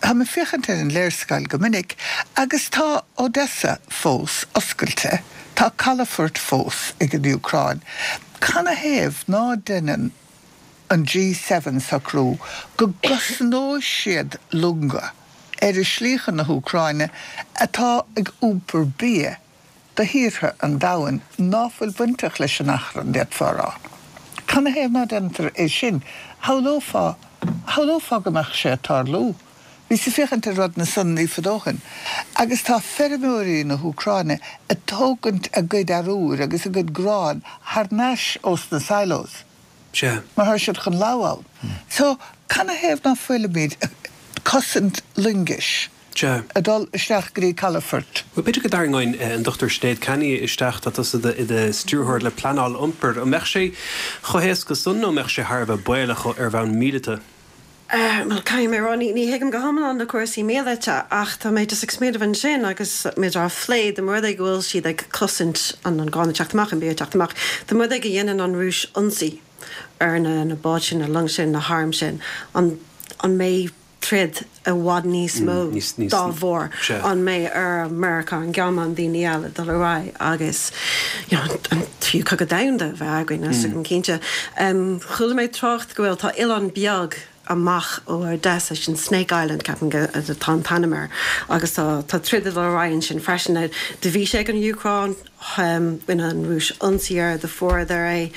Táim ag féachaint ar an léarscáil go minic agus tá Odessa fós oscailte, tá calafoirt fós ag an Úcráin. Canathaobh ná deineann an G seven socrú go gcosnóidh siad longa ar a slí chun na hÚcráine atá ag iompar bia do thíortha an domhain ná fuil bainteach leis an achrann, d'fhéadfá a rá. Canathaobh ná déantar é sin? Shamhlófá, shamhlófá go mbeadh sé ag tarlú. Bhíos ag féachaint ar rud na san ní fada ó shin, agus tá feirmeoirí na hÚcráine ag tógaint a gcuid arúir agus a gcuid grán thar n-ais ós na silos. Sea. Mar tá siad chun lobhadh ann. So, canathaobh ná fuilimid ag cosaint loingis? Sea. Ag dul isteach go dtí calafort. Bhuel, b'fhéidir go dtarraingeoinn an Dochtúir Sinéad Canney isteach, tá tusa i do stiúrthóir le pleanáil iompair. An mbeadh sé chomh héasca san nó an mbeadh sé thar a bheith baolach ar bhonn míleata? Bhuel, caithfidh mé a rá, ní thuigim go hiomlán na cúrsaí míleata ach tá mé just ag smaoineamh ansin agus muid á phlé, dá mba rud é go bhfuil siad ag cosaint an grán ag teacht amach, an bia ag teacht amach, dá mba rud é go dhéanann an Rúis ionsaí ar na báid sin, na long sin, na hairm sin, an mbeidh troid i bhfad níos mó dá bharr. An mbeidh ar Meiriceá, an Ghearmáin, daoine eile dul ar aghaidh agus you know an tríú cogadh domhanda a bheith againn, níl a fhios agam cinnte. Chuala mé trácht go bhfuil, tá oileán beag amach ó Odessa, sin Snake Island ceapaim go atá an t-ainm air, agus tá tá troid ag dul ar aghaidh ansin freisin. Do bhí sé ag an Úcráin, rinne an Rúis ionsaí air, do fuaireadar é.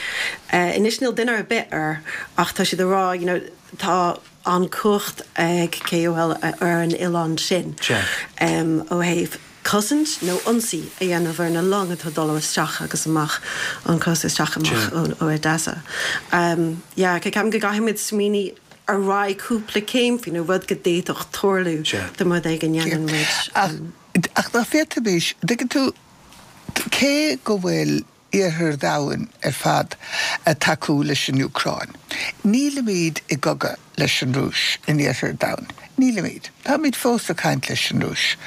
Anois níl duine ar bith air ach tá siad ag rá you know tá an cumhacht ag cé a bhfuil ar an oileán sin ó thaobh cosaint nó ionsaí a dhéanamh ar na long atá ag dul isteach agus amach an cósta isteach amach ó Odessa. Yeah, ceapaim go gcaithfimid smaoineamh ar aghaidh cúpla céim faoin rud go d'fhéadfadh tarlú dá mba rud é go ndéanann muid. Ach ná féadfaimis, dtuigeann tú, cé go bhfuil iarthar domhain ar fad ag tacú leis an Úcráin. Nílimid i gcogadh leis an Rúis in iarthar domhain. Nílimid. Táimid fós ag caint leis an Rúis.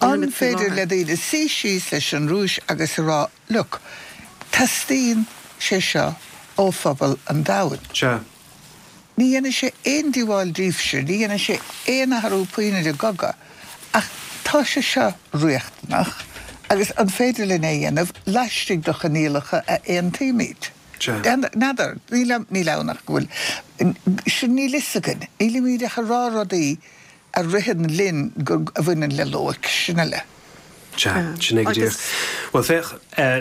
An féidir le daoine suí síos leis an Rúis agus a rá, look, teastaíonn sé seo ó phobal an domhain. Sea. Ní dhéanfaidh sé aon díobháil daoibhse, ní dhéanfaidh sé aon athrú puinn ar an gcogadh, ach tá sé seo riachtanach agus an féidir linn é a dhéanamh laistigh de choinníollacha a aontaímid? N'fheadar, níl ann ach go bhfuil, sin níl fhios againn, nílimid ach ag rá rudaí a ritheann linn go, a bhaineann le loighic, sin uile. Sea, sin é go díreach. Bhuel, féach,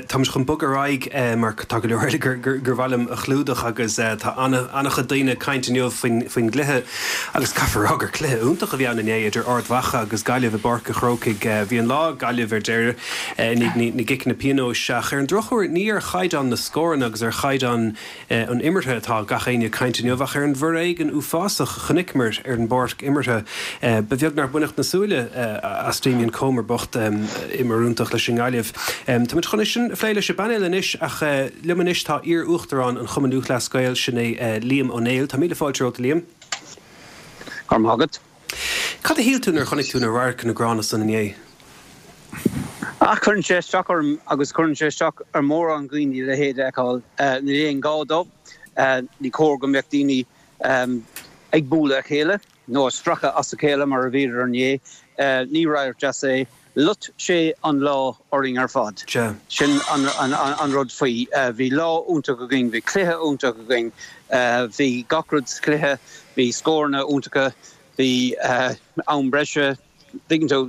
táimid chun bogadh ar aghaidh mar tá go leor eile gur mhaith liom a chlúdach agus tá an-chuid daoine ag caint inniu faoin gcluiche agus caithfear a rá gur cluiche iontach a bhí ann inné idir Ard Mhacha agus Gaillimh i bPáirc an Chrócaigh. Bhí an lá ag Gaillimh ar deireadh i ndiaidh na gciceanna pionóis ach ar an drochuair ní ar chaighdeán na scóranna agus ar chaighdeán an imeartha atá gach éinne ag caint inniu ach ar an bhforéigean uafásach a chonaiceamar ar an bpáirc imeartha. Ba bheag nár baineadh na súile as Damien Comer bocht, imreoir iontach leis an nGaillimh. Táimid chun é sin a phlé leis an bpainéal anois ach liom anois tá iar-uachtarán an Chumainn Lúthchleas Gael, sin é Liam Ó Néill. Tá míle fáilte romhat, a Liam. Go raibh maith agat. Cad a shíl tú nuair a chonaic tú na radharcanna gránna san inné? Ach cuireann sé isteach orm agus cuireann sé isteach ar mhórán daoine a leithéid a fheiceáil. Níl aon ghá dó. Ní cóir go mbeadh daoine ag bualadh a chéile nó ag stracadh as a chéile mar a bhíodar inné. Ní radharc deas é. Loit sé an lá orainn ar fad. Sin an rud faoi. Bhí lá iontach againn, bhí cluiche iontach againn, bhí gach rud sa chluiche, bhí scóranna iontacha, Bhí am breise tuigeann tú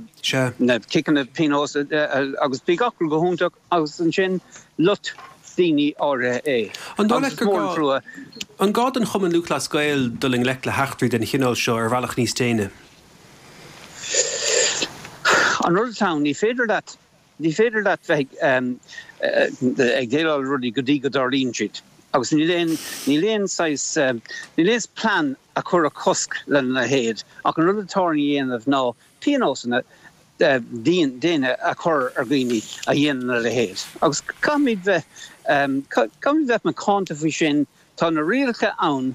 na ciceanna pionóis agus bhí gach rud go hiontach agus ansin loit daoine áirithe é. An dóigh leat gur gá an gá don Chumann Lúthchleas Gael dul i ngleic le heachtraí den chineál seo ar bhealach níos déine? An rud atá ann, ní féidir leat ní féidir leat bheith ag déileáil le rudaí go dtí go dtarlaíonn siad. Agus níl aon níl aon saghas níl aon plean a chuirfeadh cosc lena leithéid ach an rud atá á dhéanamh ná pionósanna diana a chur ar dhaoine a dhéanann a leithéid. Agus caithfimid bheith caithfimid bheith macánta faoi sin, tá na rialacha ann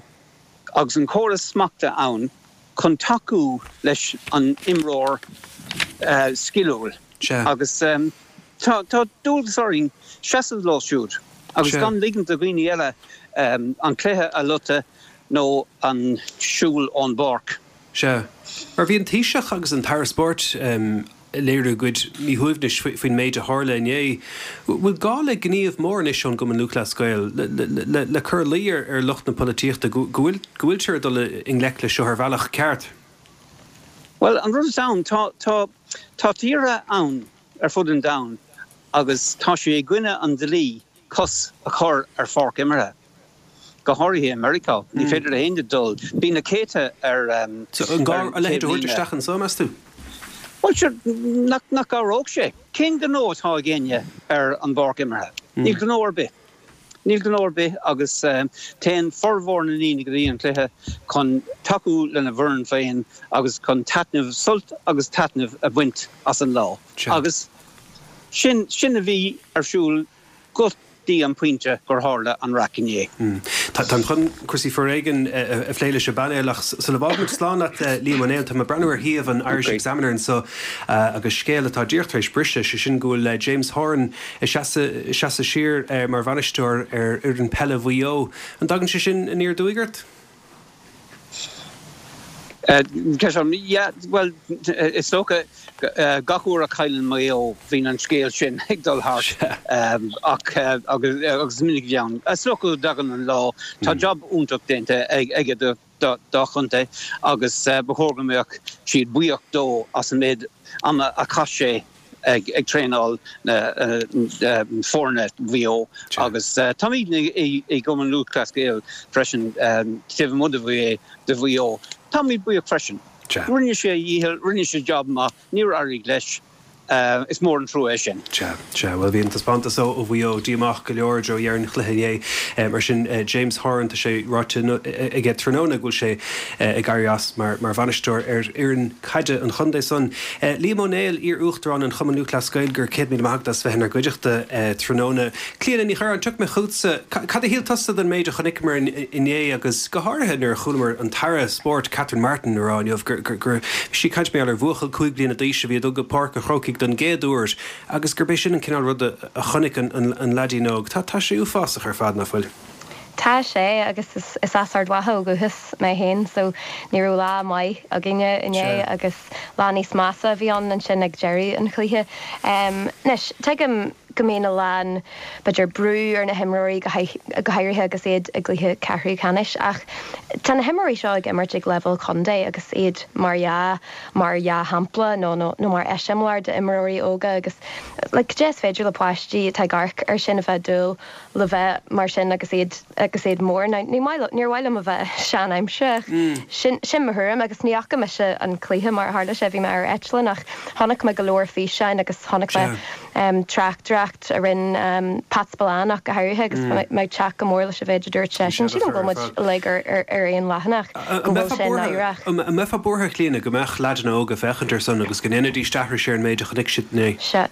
agus an córas smachta ann chun tacú leis an imreoir sciliúil agus tá dualgas orainn seasamh leo siúd agus gan ligint do dhaoine eile an cluiche a loiteadh nó an siúl ón bpáirc. Sea. Mar bhí an Taoiseach agus an tAire Spóirt ag léiriú a gcuid míshuaimhnis faoin méid a tharla inné. Bhfuil gá le gníomh mór anois ón gCumann Lúthchleas Gael le cur ina luí ar lucht na polaitíochta go bhfuiltear ag dul i ngleic leis seo ar bhealach ceart? Bhuel, an rud atá ann, tá, tá, tá tíortha ann ar fud an domhain agus tá sé i gcoinne an dlí cos a chur ar pháirc imeartha. Go háirithe i Meiriceá. Ní féidir le héinne dul. Bíonn na céadta ar So an gá a leithéid a thabhairt isteach anseo, meas tú? Bhuel, sure, nach, nach gcabhródh sé? Cén gnó atá ag éinne ar an bpáirc imeartha? Níl gnó ar bith. Níl gnó ar bith agus téann formhór na ndaoine go dtí an cluiche chun tacú lena bhfoireann féin agus chun taitneamh, sult agus taitneamh a bhaint as an lá. Agus sin, sin a bhí ar siúl go dtí an pointe gur tharla an raic inné. Táim chun cúrsaí foréigin a phlé leis an bpainéal ach sula bhfágaimid slán leat Liam Ó Néill, tá mé ag breathnú ar shuíomh an Irish Examiner anseo agus scéal atá díreach tar éis briseadh, sé sin go bhfuil James Horan ag seasamh siar mar bhainisteoir ar fhoireann peile Mhaigh Eo. An dtagann sé sin aniar aduaidh ort? Yeah, bhuel, is dócha gach uair a chailleann Maigh Eo bíonn an scéal sin ag dul thart ach agus is minic a bhí ann. Is dócha go dtagann an lá. Tá jab iontach déanta aige dá chontae agus ba chóir go mbeadh siad buíoch dó as an méid ama a chaith sé ag traenáil na foirne Mhaigh Eo agus táimid i gCumann Lúthchleas Gael freisin taobh amuigh de Mhaigh Eo. Táimid buíoch freisin. Rinne sé a dhícheall, rinne sé jab maith, níor éirigh leis. Is mór an trua é sin. Sea, sea. Bhuel, bhí an taispeántas ó Mhaigh Eo díomách go leor i dtreo dheireadh an chluiche inné. Mar sin, James Horan, tá sé ráite aige tráthnóna go bhfuil sé ag éirí as mar bhainisteoir ar fhoireann caide an chontae san. Liam Ó Néill, iar-uachtarán an Chumainn Lúthchleas Gael, go raibh céad míle maith agat as bheith inár gcuideachta tráthnóna. Clíona Ní Churráin, tiocfaidh mé chugatsa. Cad a shíl tusa den méid a chonaiceamar inné agus go háirithe nuair a chualamar an tAire Spóirt Catherine Martin ag rá inniu gur bhí sí ag caint mar gheall ar bhuachaill cúig bliana d'aois a bhí ag dul go Páirc an Chrócaigh don gcéad uair agus gurb é sin an cineál ruda a chonaic an leaidín óg. Tá sé uafásach ar fad, nach bhfuil? Tá sé, agus is as Ard Mhacha ó dhúchas mé féin, so ní raibh lá maith againne inné agus lá níos measa a bhí ann ansin ag deireadh an chluiche. Anois, tuigim go mbíonn a lán, b'fhéidir, brú ar na himreoirí, go háirithe agus iad i gcluiche ceathrú ceannais, ach tá na himreoirí seo ag imirt ag leibhéal contae agus iad mar dhea, mar dhea-shampla nó nó mar eiseamláir d'imreoirí óga agus like cad é is féidir le páistí atá ag amharc air sin a bheith ag dúil le bheith mar sin agus iad agus iad mór. Now ní maith níor mhaith liom a bheith sean-aimseartha ach sin sin mo thuairim agus ní fhaca mise an cluiche mar a tharla sé, bhí mé ar eitleán ach chonaic mé go leor físeáin agus chonaic mé um tráchtaireacht a rinne um Pat Spillane ach go háirithe agus tá mé ag teacht go mór leis an mhéid a dúirt seisean. Sílim go bhfuil muid uilig ar ar ar aon leathanach go An bhfuil mbeifeá sé buartha náireach. an mbeifeá buartha a Chlíona go mbeadh leaideanna óga ag féachaint air san agus go ndéanfaidís aithris ar an méid a chonaic siad inné? Sea.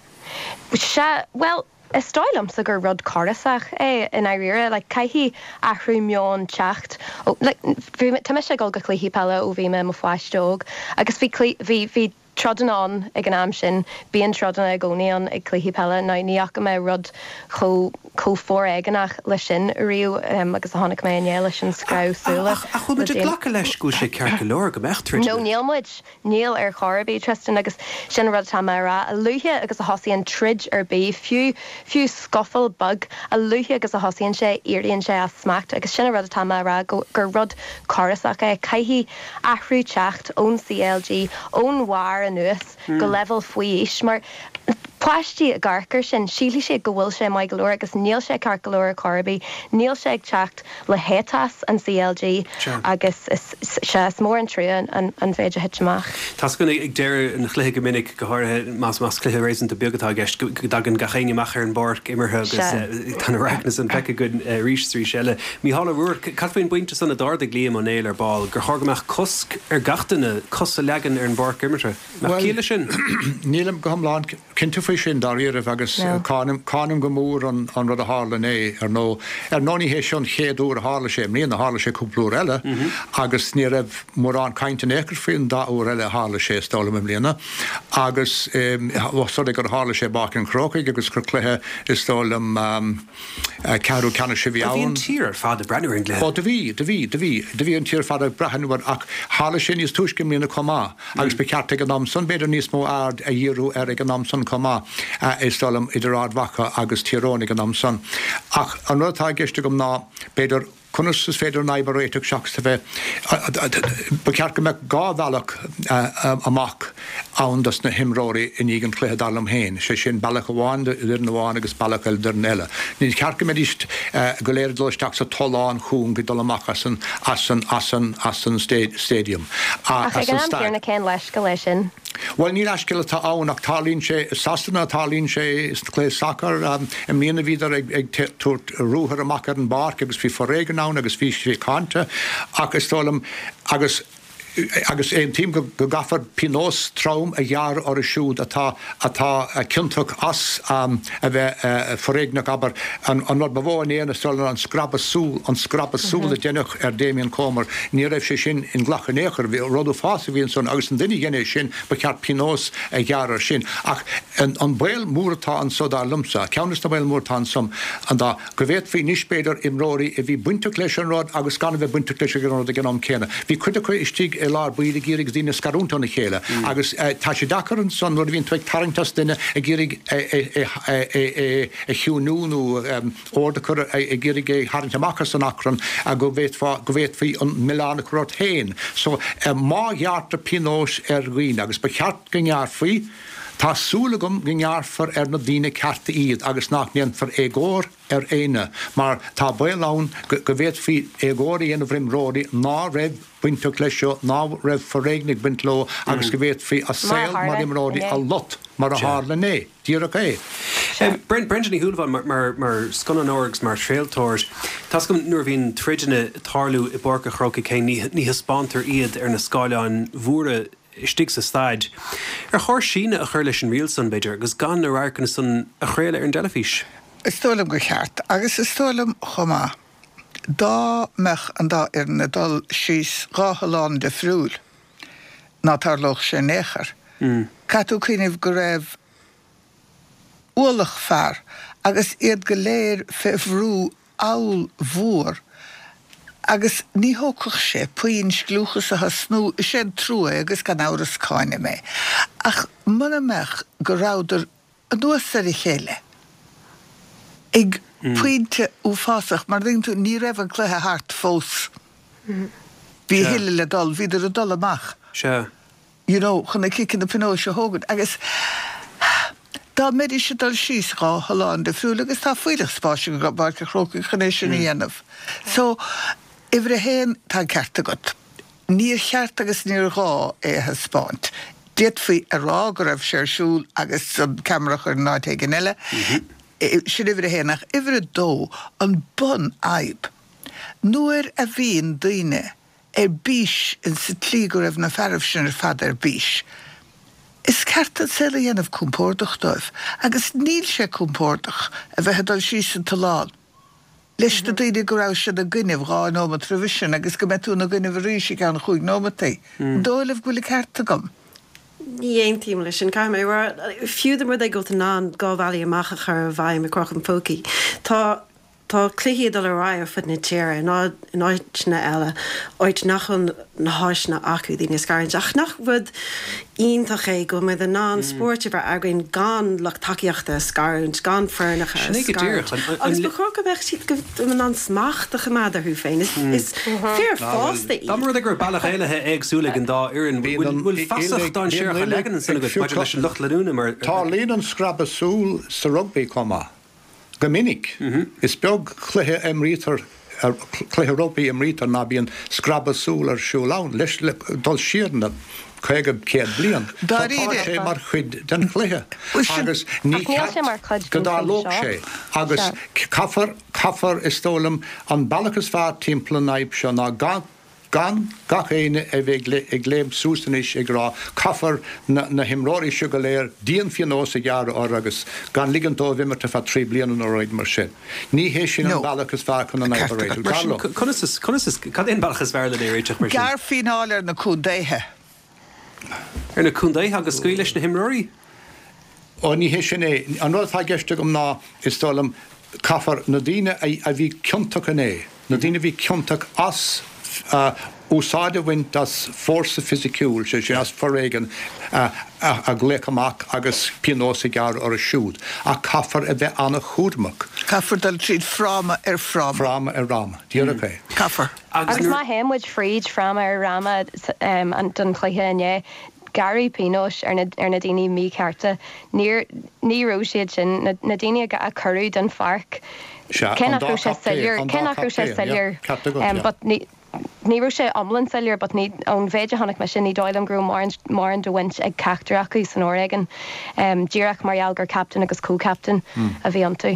Sea, bhuel, is dóigh liomsa gur rud córasach é i ndáiríre. Like, caithfidh athrú meoin teacht ó, like, bhí, tá mise ag dul go cluichí peile ó bhí mé i mo pháiste óg agus bhí, bhí, bhí troideanna ann ag an am sin, bíonn troideanna i gcónaí ann ag cluichí peile. Now ní fhaca mé rud chomh chomh foréigeanach leis sin riamh agus a chonaic mé inné leis an screamh súile. Ach bhfuil muid ag glacadh leis go bhfuil sé ceart go leor go mbeadh troideanna? No, níl muid. Níl ar chor ar bith, Tristan, agus sin an rud atá mé a rá. A luaithe agus a thosaíonn troid ar bith, fiú fiú scuffle beag, a luaithe agus a thosaíonn sé, éiríonn sé as smacht agus sin an rud atá mé a rá, go gur rud córasach é. Caithfidh athrú teacht ón C L G, ón bharr anuas go leibhéal faoi aois, mar páistí ag amharc air sin, sílfidh siad go bhfuil sé maith go leor agus níl sé ceart go leor ar chor ar bith. Níl sé ag teacht le héiteas an C L G agus is sea, is mór an trua an an mhéid a thit amach. Tá a fhios againn ag deireadh an chluiche go minic, go háirithe más más cluiche réasúnta beag atá i gceist, go dtagann gach éinne amach ar an bpáirc imeartha agus tá na radharcanna san feicthe againn arís is arís eile. Mícheál Ó Ruairc, cad faoin bpointe san a d'ardaigh Liam Ó Néill ar ball, gur chóir go mbeadh cosc ar gach duine cos a leagan ar an bpáirc imeartha? Nach ciall leis sin? Nílim go hiomlán cinnte faoi sin dáiríribh agus cáinim cáinim go mór an an rud a tharla inné ar ndóigh. Ar ndóigh ní hé seo an chéad uair a tharla sé i mbliana, tharla sé cúpla uair eile agus ní raibh mórán cainte in aon chor faoin dá uair eile a tharla sé is dóigh liom i mbliana agus ós rud é gur tharla sé i bPáirc an Chrócaigh agus gur cluiche is dóigh liom ceathrú ceannais a bhí Bhí an ann. tír ar fad ag breathnú ar an gcluiche. Ó do bhí, do bhí, do bhí, do bhí an tír ar fad ag breathnú air ach tharla sé níos túisce i mbliana chomh maith agus ba cheart ag an am san b'fhéidir níos mó aird a dhíriú air ag an am san chomh maith is dóigh liom idir Ard Mhacha agus Tír Eoghain ag an am san. Ach an rud atá i gceist agam ná b'fhéidir conas is féidir an fhadhb a réiteach seachas a bheith ba cheart go mbeadh dhá bhealach amach ann dos na himreoirí i ndiaidh an chluiche dar liom féin, sé sin bealach amháin d'fhoireann amháin agus bealach eile d'fhoireann eile. Ní ceart go mbeidís go léir ag dul isteach sa tollán chúng ag dul amach as an as an as an as an stadium. Ach ag an am céanna cén leithscéal é sin? Well ní leithscéal atá ann ach tarlaíonn sé i Sasana tarlaíonn sé sna cluichí sacair i mbliana bhíodar ag ag tabhairt ruathar amach ar an bpáirc agus bhí foréigean ann agus bhí sé cáinte ach is dóigh liom agus agus aontaím go go gcaithfear pionós trom a ghearradh orthu siúd atá atá ciontach as a bheith foréigneach abair an an rud ba mhó in aon is dóigh liom an scrabadh súl an scrabadh súl a deineadh ar Damien Comer ní raibh sé sin inghlactha in aon chor bhí rud uafásach a bhí ansan agus an duine a dhein é sin ba cheart pionós a ghearradh air sin ach an an baol mór atá anso dar liomsa ceann de na baol mór atá ansan an dá go bhféadfaí anois b'fhéidir imreoirí a bhí bainteach leis an rud agus gan a bheith bainteach leis an rud ag an am céanna bhí cuid acu istigh i lár baill ag iarraidh daoine a scarúint óna chéile agus tá sé deacair ansan nuair a bhíonn tú ag tarraingt as duine ag iarraidh é a chiúnú nó ord a chur ag iarraidh é tharraingt amach as an achrann go bhféadfá go bhféadfaí an milleán a chur ort féin. So má ghearrtar pionós ar dhaoine agus ba cheart go ngearrfaí, tá súil agam go ngearrfar ar na daoine cearta iad agus nach ndéanfar éagóir ar éinne mar tá baol ann go bhféadfaí éagóir a dhéanamh ar imreoirí ná raibh bainteach leis seo, ná raibh foréigean ag baint leo agus go bhféadfaí a saol mar imreoirí a lot mar a tharla inné. Díreach é. Brenda Ní Shúilleabháin mar mar scannánóir agus mar chraoltóir, tá a fhios agam nuair a bhíonn troideanna ag tarlú i bPáirc an Chrócaigh féin ní ní thaispeántar iad ar na scáileáin mhóra istigh sa staid. Ar chóir síneadh a chur leis an riail san, b'fhéidir, agus gan na radharcanna san a chraoladh ar an dteilifís? Is dóigh liom gur cheart, agus is dóigh liom chomh maith, dá mbeadh an dá fhoireann ag dul síos dhá thollán difriúil, ná tarlódh sé in aon chor. Caithfidh tú cuimhneamh go raibh ualach fear agus iad go léir fé bhrú ollmhór agus ní thógfadh sé puinn scliúchas a thosnú, is é an trua é agus gan amhras cáinim é, ach muna mbeadh go rabhadar anuas ar a chéile ag pointe uafásach, mar tuigeann tú, ní raibh an cluiche thart fós. Bhí a thuilleadh le dul, bhíodar ag dul amach. Sea. You know, chun na ciceanna pionóis a thógaint agus dá mbeidís ag dul síos dhá thollán difriúil agus tá fuílleach spáis i bPáirc an Chrócaigh chun é sin a dhéanamh. So, uimhir a haon, tá an ceart agat. Níor cheart agus níor ghá é a thaispeáint. D'fhéadfaí a rá go raibh sé ar siúl agus an ceamara a chur in áit éigin eile. Sin uimhir a haon. Ach uimhir a dó, an bunfhadhb, nuair a bhíonn daoine ar bís in sa tslí go raibh na fearaibh sin ar fad ar bís, is ceart an saol a dhéanamh compordach dóibh. Agus níl sé compordach a bheith ag dul síos an tollán leis na daoine go rabhais ina gcoinnibh dhá nóimeat roimhe sin agus go mbeidh tú ina gcoinnibh arís i gceann chúig nóimeataí. An dóigh libh go bhfuil an ceart agam? Ní aontaím leis sin, caithfidh mé a rá. Fiú dá mba rud é go bhfuil tú in ann dhá bhealaí amach a chur i bhfeidhm i gcrochadh an phócaí, tá tá cluichí ag dul ar aghaidh ar fud na tíre, in áiteanna eile, áit nach bhfuil na háiseanna acu daoine a scarúint. Ach nach rud iontach é go bhfuil muid in ann spórt a bheith againn gan lucht tacaíochta a scarúint, gan foirneacha a Sin é go scarúint. díreach. An, Agus an, ba chóir go mbeadh siad go in ann smacht a choimeád orthu féin. Is, is fir fásta Dá iad. mba rud é go raibh bealach éalaithe éagsúil ag an dá fhoireann, Bíonn bhfuil an, bhfuil feasacht dainséarach bíonn á leagan ansin ag agat maidir leis fiuchadh. an lucht leanúna mar Tarlaíonn an scrabadh súl sa rugbaí chomh maith. Go minic. Is beag cluiche a imrítear, cluiche rugbaí a imrítear ná bíonn scrabadh súl ar siúl ann, leis le dul siar na caoga, céad bliain. So tá Dáiríre. sé mar chuid den chluiche Bhuel sin, agus ní Ach níl sé ceart mar chuid go den chluiche dtarlódh seo. sé. Agus Sea. caithfear, caithfear, is dóigh liom, an bealach is fearr timpeall an fhadhb seo ná gan, gan gach éinne a bheith ag léim suas anois ag rá caithfear na, na himreoirí seo go léir dianphionós a ghearradh orthu agus gan ligint dóibh imirt ar feadh trí bliana nó rud mar sin. Ní hé sin an No. bealach is fearr chun an fhadhb a Ceart agat. réiteach. Mar Dar sin, liom. Conas is, conas is, cad é an bealach is fearr lena réiteach mar sin? Gearr fíneáil ar na contaetha. Ar na contaetha agus scaoil leis na himreoirí? Ó ní hé sin é. An rud atá i gceist agam ná is dóigh liom caithfear na daoine a, a bhí ciontach inné, na daoine a bhí ciontach as uh, úsáid a bhaint as fórsa fisiciúil, sé sin as foréigean uh, a, a ghlaoch amach agus pionós a ghearradh orthu siúd. Ach caithfear a bheith an-chúramach, Caithfear dul tríd fráma ar fráma. fráma ar fhráma. Díreach é. Caithfear. Agus Agus nuair má théann muid fríd fráma ar fhráma um, an don chluiche inné, gearradh pionóis ar na, ar na daoine míchearta. Níor ní raibh siad sin na, na daoine a a cuireadh den pháirc. Sea, Cé an nach dá raibh sé captaen, soiléir, an cé dá nach raibh sé captaen, yeah, soiléir, ceart agat, um, yeah. but ní ní raibh sé iomlán soiléir, but ní ón mhéid a chonaic mise ní dóigh liom go raibh mórán mórán de bhaint ag ceachtar acu san fhoréigean. Um, díreach mar gheall gur captain agus co-captain a bhí iontu.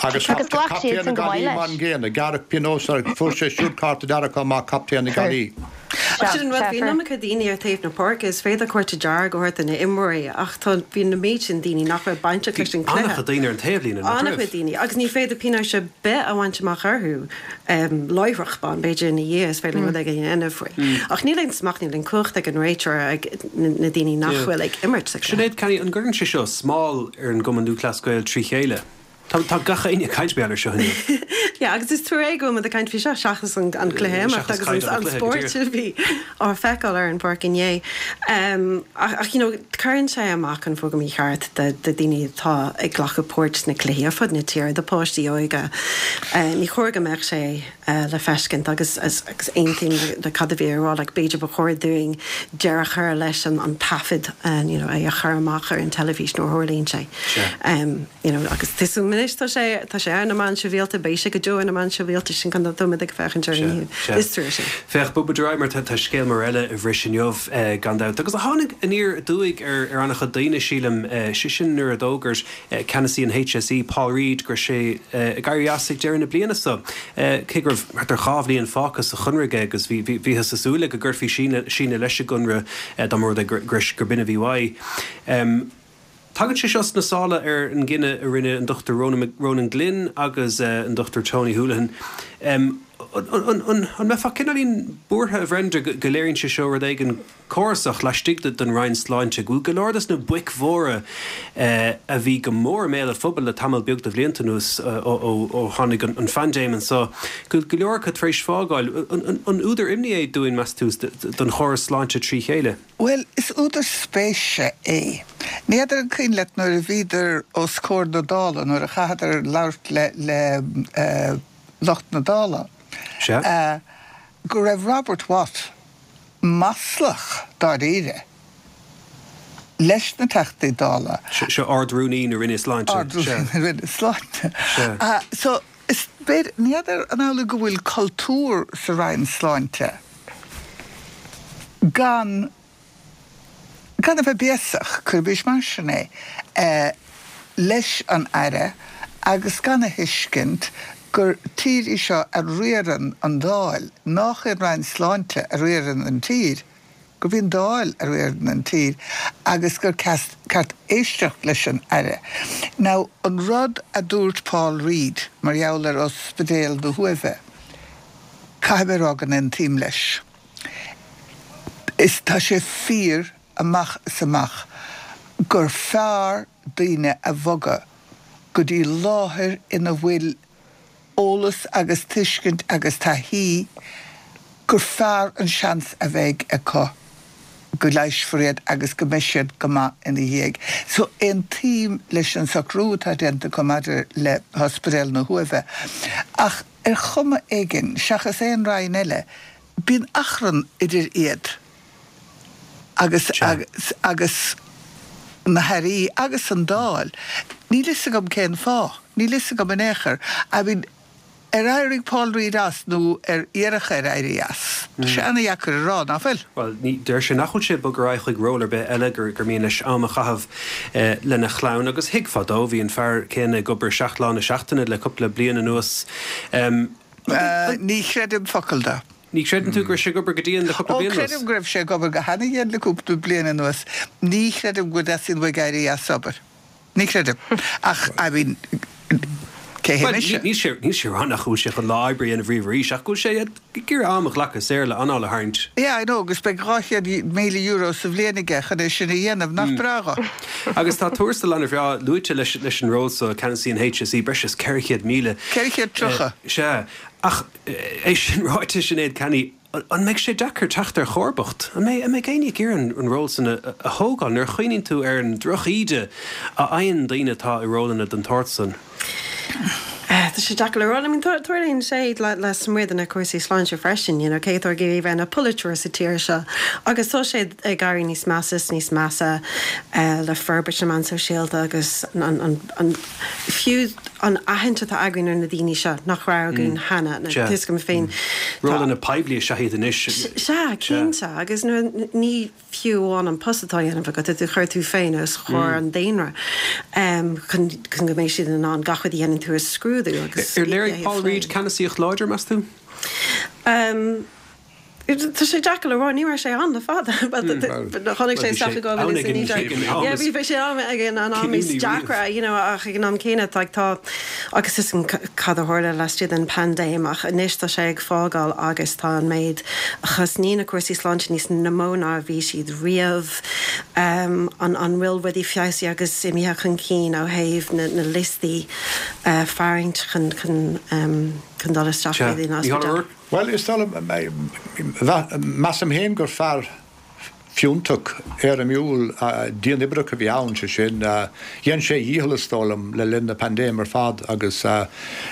Agus Agus ghlac captaen siad na san go maith Gaillimhe leis. mar an gcéanna, gearradh pionós ar fuair sé siúd cárta dearg amach captaen na Gaillimhe. Ach sin an rud, bhí an iomarca daoine ar taobh na páirce, is féidir cárta dearg a thabhairt do na himreoirí ach tá bhí na méid sin daoine nach raibh bainteach leis an an-chuid cluiche. daoine ar an taobhlíne, nach An-chuid raibh? daoine, agus ní féidir pionós ar bith a bhaint amach orthu um, láithreach bonn, b'fhéidir ina dhiaidh is féidir rud éigin a dhéanamh faoi. Ach níl aon smacht níl aon chumhacht ag an réiteoir ag na na daoine nach Yeah. bhfuil ag imirt sa chluiche. Sinéad Canny, an gcuireann sé seo smál ar an gCumann Lúthchleas Gael trí chéile? Tá, tá gach éinne ag caint air seo inniu. Ja, agus is trua go bhfuil muid ag caint faoi seo seachas an, an cluiche imeacht Seachas agus caint an, an an cluiche, go spórt díreach. a bhí á feiceáil ar an bpáirc inné. Um, ach, ach you know, cuireann sé amach an fógra mícheart de, de daoine atá ag glacadh páirt sna cluichí ar fud na tíre, do páistí óga. Uh, ní chóir go mbeadh sé uh, le feiscint agus agus, agus aontaím le, le cad a bhí á rá like, b'fhéidir ba chóir dúinn deireadh a chur leis an, an taifead uh, you know, é a chur amach ar an teilifís nuair a tharlaíonn sé. Sea. Um, you know, agus tuú is tá sé tá sé ar na meáin shóisialta beidh sé go deo ar na meáin shóisialta sin chun dom ag féachaint ar inniu. Sea. Is trua sin. Féach bogfaidh muid ar aghaidh mar tá tá scéal mór eile a bhris inniu eh, gan dabht. Agus a tháinig aniar aduaidh ar ar an-chuid daoine sílim eh, sé sin nuair a d'fhógair eh, ceannasaí an HSE Paul Reid go raibh sé eh, ag éirí as ag deireadh na bliana seo. Eh, Cé go raibh thart ar dhá bhliain fágtha sa chonradh aige agus bhí bhí bhíothas ag súil go gcuirfí síneadh síneadh leis an gconradh eh, dá mba rud é gur gur gur b'in a bhí uaidh. Um, Tagann sé seo sna sála ar an gcinneadh a rinne an Dr Ronan, Ronan Glynn agus uh, an Dr Tony Holohan. Um, an, an, an, an mbeifeá cineáilín buartha a Bhrenda go go léiríonn sé seo rud éigin córasach laistigh de den Roinn Sláinte, go bhfuil go leor des na boic mhóra uh, a bhí go mór i mbéal an phobail le tamall beag de bhlianta anuas uh, ó, ó, ó tháinig an, an phaindéim anseo. Go go leor acu tar éis fágáil an, an, an údar imní é dúinn meas tú don chóras sláinte trí chéile. Well, is údar spéise é. N'fheadar an cuimhin leat nuair a bhíodar os comhair na Dála nuair a chaitheadar labhairt le le uh, lucht na Dála. Sea. Uh, go raibh Robert Watt maslach dáiríre leis na Teachtaí Dála. Seo Ard-Rúnaí na Roinne Sláinte. Ard-Rúnaí na Roinne Sláinte. Sea. Uh, so is b'fhéidir n'fheadar an amhlaidh go bhfuil cultúr sa Roinn Sláinte gan gan a bheith béasach cuiris mar sin é uh, leis an aire agus gan a thuiscint gur tír í seo a riarann an Dáil, nach an Roinn Sláinte a riarann an tír, gur bhíon Dáil a riarann an tír agus gur ceart éisteacht leis an aire. Now an rud a dúirt Paul Reid mar gheall ar ospidéal na hUaimhe, caithfidh mé rá go n-aontaím leis. Is tá sé fíor amach is amach gur fearr daoine a bhogadh go dtí láthair ina bhfuil eolas agus tuiscint agus taithí gur fearr an seans a bheidh acu go leigheasfar iad agus go mbeidh siad go maith ina dhiaidh. So aontaím leis an socrú atá déanta acu maidir le hOspidéal na hUaimhe. Ach ar chuma éigin, seachas aon roinn eile, bíonn achrann idir iad agus agus na hairí agus an Dáil. Níl fhios agam cén fáth. Níl fhios agam in aon chor. I mean, ar éirigh Paul Reid as nó ar iarradh air éirí as? Tá sé ana-dheacair a rá, nach bhfuil? Bhuel, ní, deir sé nach bhfuil sé ag bogadh ar aghaidh chuig ról ar bith eile, gur, gur mian leis am a chaitheamh lena chlann. Agus thuigfeá dó, bhí an fear céanna ag obair seacht lá na seachtaine le cúpla bliain anuas. Ní chreidim focal de. Ní chreideann tú go raibh sé ag obair go dian le cúpla Ó, bliain anuas? creidim go raibh sé ag obair go hana-dhian le cúpla bliain anuas. Ní chreidim go dteastaíonn uaidh éirí as obair. Ní chreidim. Ach, I mean, cé hé Bhuel, mise? níl sé, níl sé ag rá nach bhfuil sé chun lá oibre a dhéanamh riamh arís, ach go bhfuil sé ag iarraidh am a ghlacadh saor le anáil a tharraingt. Yeah, I know, agus beidh dhá chéad míle euro sa bhliain aige chun é sin a dhéanamh, nach breá dho? Agus tá tuarastal an-bhreá luaite leis, leis an ról so, ceannasaí an HSE, breis is ceithre chéad míle. Ceithre chéad tríocha. Sea. Ach é sin ráite, Sinéad Canney, an mbeidh sé deacair teacht ar chomharbacht? An mbeidh, an mbeidh éinne ag iarraidh an ról san a thógáil nuair a chuimhníonn tú ar an droch-íde a fhaigheann daoine atá i rólanna den tsórt san? Tá sé deacair le rá. I mean, tarlaíonn sé lasmuigh de na cúrsaí sláinte freisin, you know, cé atá ag iarraidh a bheith ina pholaiteoir sa tír seo agus tá sé ag éirí níos measa is níos measa le forbairt na meán sóisialta agus an, an, an, fiú an aithint atá againn ar na daoine seo nach raibh againn cheana, tá a fhios agam féin. Rólanna poiblí is ea iad anois. Sea, cinnte, agus ní fiú amháin an post atá á dhéanamh agat, tá tú ag cur tú féin os comhair an daonra chun go mbeidh siad in ann gach rud a dhéanann tú a scrúdú agus Ar léirigh Paul Reid ceannasaíocht láidir, meas tú? Tá sé deacair le rá, ní raibh sé ann le fada. Tháinig sé isteach i dhá mhíle is a naoi déag. Yeah, bhí bhí sé ann ag an am is deacra, you know, ach ag an am céanna tá tá agus is cad a tharla laistigh den paindéim ach anois tá sé ag fágáil agus tá an méid a chosnaíonn na cúrsaí sláinte níos mó ná a bhí siad riamh. An an bhfuil rudaí feabhsaithe agus imithe chun cinn ó thaobh na na liostaí faraingt chun chun chun dul isteach Sea. in Mícheál Ó ospidéal? Ruairc. Bhuel, is dóigh liom, measaim féin gur fear fiúntach, éirimiúil, dianoibreach a bhí ann, sé sin, dhein sé a dhícheall, is dóigh liom, le linn na paindéime ar fad agus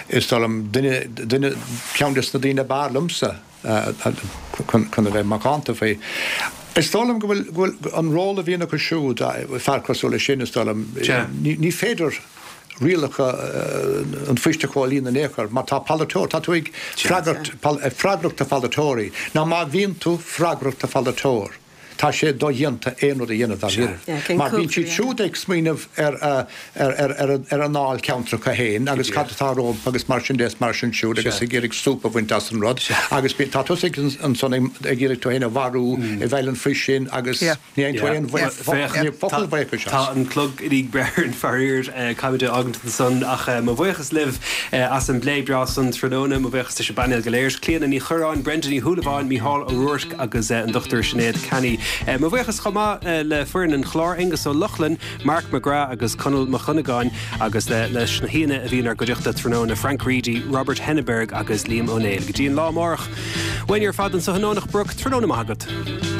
is dóigh liom, duine, duine, ceann des na daoine ab fhearr liomsa chun a bheith macánta faoi. Is dóigh liom go bhfuil, go bhfuil an ról a bhíonn acu siúd, fear cosúil leis sin, is dóigh liom, ní féidir, rialacha an phoist a chomhlíonadh in aon chor. Má tá polaiteoir, tá tú ag freagairt, freagrach do pholaiteoirí. Nó má bhíonn tú freagrach do pholaiteoir, tá sé dodhéanta aon rud a dhéanamh dáiríre. Mar bíonn siad siúd ag smaoineamh ar ar a ndáilcheantracha féin agus cad atá rompu agus mar sin de is mar sin siúd agus ag iarraidh súp a bhaint as an rud agus tá tusa ansan ag iarraidh tú féin a mharú i bhfeighil an phoist sin agus Ní fhaigheann tú aon focal buíochais as. Tá an clog i ndiaidh breith orainn faraor, caithfimid é a fhágaint ansan ach mo bhuíochas libh as an bplé breá san tráthnóna. Mo bhuíochas leis an bpainéal go léir, Clíona Ní Churráin, Brenda Ní Shúilleabháin, Mícheál Ó Ruairc agus an Dochtúir Sinéad Canney. Mo bhuíochas chomh maith le foireann an chláir, Aengus Ó Lochlainn, Mark McGrath agus Conall Mac Dhonnagáin agus leis na haíonna a bhí inár gcuideachta tráthnóna, Frank Reidy, Robert Henneberg agus Liam Ó Néill. Go dtí an lá amárach, uainne ar fad anso i nDomhnach Broc, tráthnóna maith agat.